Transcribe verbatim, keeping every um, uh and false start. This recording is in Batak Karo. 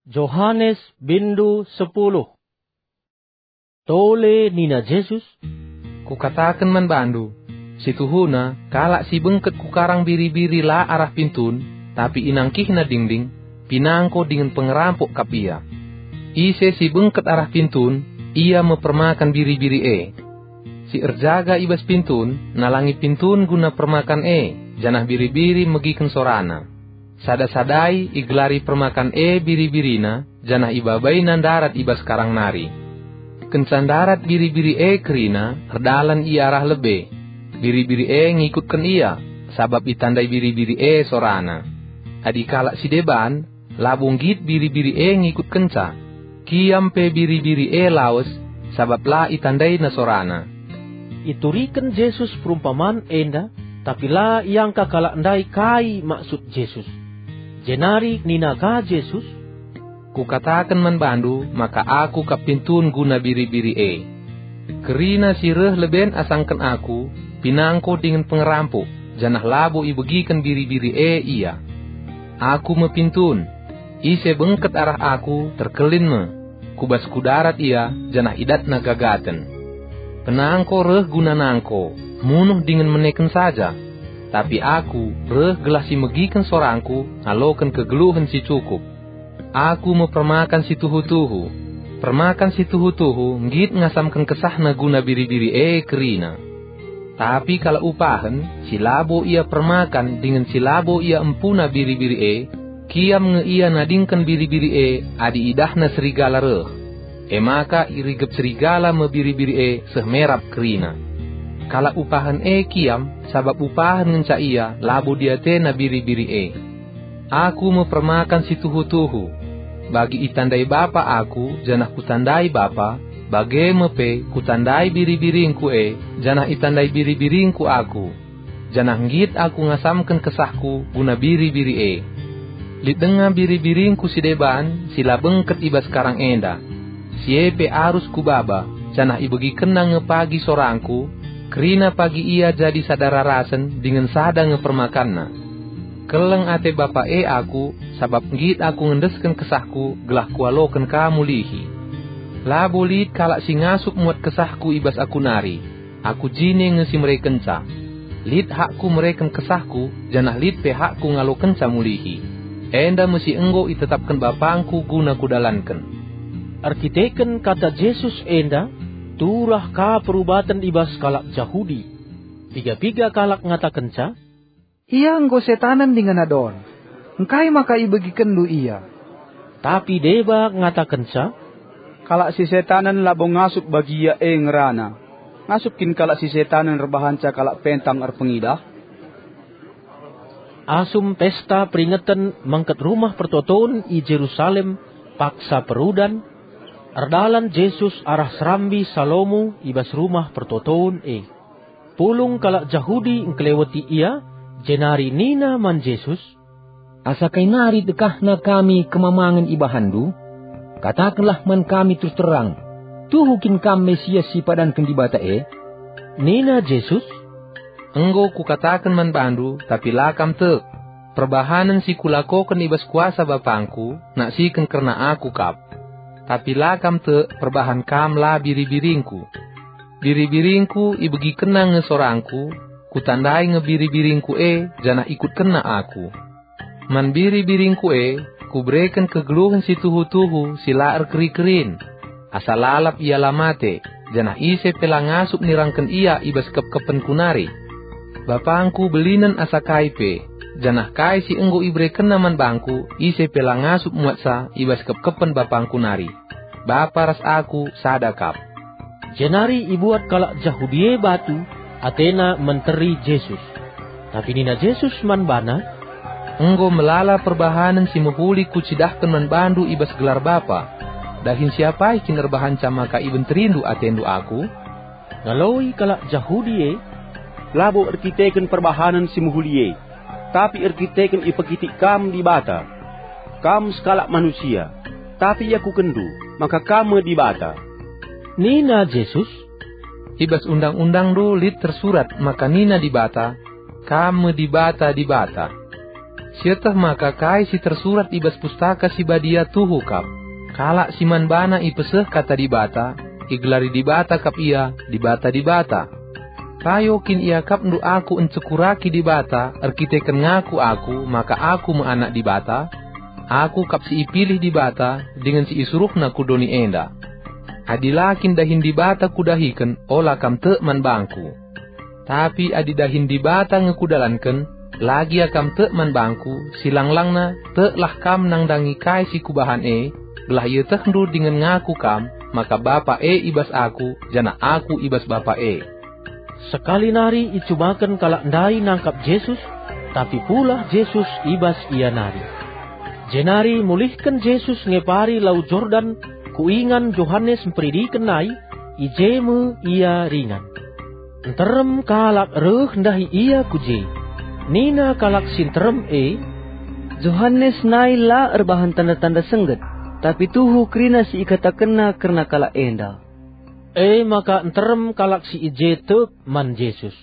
Johanes bindu sepuluh. Tole nina Jesus, "Kukataken man bandu, si tuhuna kalak si bengket ku karang biri-biri la arah pintun, tapi inangkihna dingding, pinangko dingen pengerampok kap ia. Ise si bengket arah pintun, ia me permakan biri-biri e. Si erjaga i bas pintun, nalangi pintun guna permakan e, janah biri-biri megiken sorana. Sada-sadai igelari permakan e biri-birina, janah ibabaina ndarat i bas karang nari. Kenca ndarat biri-biri e kerina, erdalan ia arah lebe. Biri-biri e ngikutken ia, sabap itandai biri-biri e sorana. Adi kalak si deban, labo nggit biri-biri e ngikutkenca. Kiam pe biri-biri e lawes, sabap la itandaina sorana." Ituriken Jesus perumpaman enda, tapi la iangka kalak ndai kai maksud Jesus. Jenari nina ka Jesus, "Kukataken man bandu maka Aku kap pintun guna biri-biri e. Kerina si reh leben asangken Aku, pinangko dingen pengerampok, janah labo ibegiken biri-biri e ia. Aku me pintun. Ise bengket arah Aku, terkelin me. Ku bas Kudarat ia, janah idatna gagaten. Penangko reh guna nangko, munuh dingen meneken saja. Tapi Aku reh gelah si megiken sorangKu ngaloken kegeluhen si cukup. Aku me permakan si tuhu-tuhu. Permakan si tuhu-tuhu nggit ngasamken kesahna guna biri-biri e kerina. Tapi kalak upahen, si labo ia permakan dingen si labo ia empuna biri-biri e, kiam nge ia nadingken biri-biri e adi idahna serigala reh. E maka irigep serigala me biri-biri e seh merap kerina. Kalak upahen e kiam, sabap upahen ngenca ia labo diatena biri-biri e. Aku me permakan si tuhu-tuhu. Bagi itandai Bapa Aku, janah Kutandai Bapa, bage me pe Kutandai biri-biringKu e, janah itandai biri-biringKu Aku. Janah nggit Aku ngasamken kesahKu guna biri-biri e. Lit denga biri-biringKu si deban, si la bengket i bas karang enda. Si e pe arus Kubaba, janah ibegikenna nge pagi sorangKu, kerina pagi ia jadi sada rarasen dingen sada nge permakanna. Keleng ate Bapa e Aku, sabap nggit Aku ngendesken kesahKu gelah Kualoken ka mulihi. Labo lit kalak si ngasup muat kesahKu i bas Aku nari. Aku jine nge si merekenca. Lit hakKu mereken kesahKu, janah lit pe hakKu ngalokenca mulihi. Enda me si enggo itetapken BapangKu guna Kudalanken." Erkiteken kata Jesus enda, turah ka perubaten i bas kalak Jahudi. Piga-piga kalak ngatakenca, "Ia enggo setanen dingen adon. Engkai maka ibegikenndu ia?" Tapi deba ngatakenca, "Kalak si setanen labo ngasup bagi ia e ngerana. Ngasup kin kalak si setanen erbahanca kalak pentang erpengidah?" Asum pesta peringeten mengket Rumah Pertoton i Jerusalem paksa perudan, erdalan Jesus arah Serambi Salomo i bas Rumah Pertoton e. Pulung kalak Jahudi engkeleweti ia, jenari nina man Jesus, "Asa kai nari dekahna kami kemamangen ibahanndu? Katakenlah man kami terus terang, tuhu kin Kam Mesias si ipadanken Dibata e?" Nina Jesus, "Enggo Kukataken man bandu, tapi la kam tek. Perbahanen si Kulakoken i bas kuasa BapangKu, naksiken kerna Aku kap. Tapi la kam tek perbahan kam la biri-biringKu. Biri-biringKu ibegikenna nge sorangKu, Kutandai nge biri-biringKu e, janah ikutkenna Aku. Man biri-biringKu e, Kubereken kegeluhen si tuhu-tuhu si la erkeri-kerin, asa lalap ia la mate, janah ise pe la ngasup nirangken ia i bas kepkepenKu nari. BapangKu belinen asa kai pe, janah kai si enggo iberekenNa man bangKu, ise pe la ngasup muatsa i bas kepkepen BapangKu nari. Bapa ras Aku sada kap." Jenari ibuat kalak Jahudi e batu, atena menteri Jesus. Tapi nina Jesus man bana, "Enggo melala perbahanen si mehuli Kucidahken man bandu i bas gelar Bapa. Dahin siapai kin erbahanca maka ibenterindu atendu Aku?" Ngaloi kalak Jahudi e, "Labo erkiteken perbahanen si mehuli e, tapi erkiteken ipekitik Kam Dibata. Kam sekalak manusia, tapi iakukenndu maka Kam me Dibata." Nina Jesus, "I bas Undang-undangndu lit tersurat maka nina Dibata, 'Kam me dibata-dibata.'" Sieteh maka kai si tersurat i bas Pustaka Si Badia tuhu kap, 'Kalak si man bana ipeseh Kata Dibata, igelari Dibata kap ia dibata-dibata.' Payo kin iakapndu aku encekuraki Dibata erkiteken ngaku aku maka aku me Anak Dibata? Aku kap si ipilih Dibata dingen si isuruhNa ku doni enda. Adi la kin dahin Dibata kudahiken, ola kam tek man bangku. Tapi adi dahin Dibata nge kudalanken, la gia kam tek man bangku, silang-langna, teklah kam nandangi kai si kubahan e, gelah ietehndu dingen ngaku kam maka Bapa e i bas aku, janah aku i bas Bapa e. Sekali nari icubaken kalak ndai nangkap Jesus, tapi pulah Jesus i bas ia nari. Jenari mulihken Jesus ngepari Lau Jordan ku ingan Johanes Mperidiken nai, i je me ia ringan. Nterem kalak reh ndahi ia ku je. Nina kalak si nterem e, "Johanes nai la erbahan tanda-tanda sengget, tapi tuhu kerina si ikatakenna kerna kalak enda." E maka nterem kalak si i je tek man Jesus.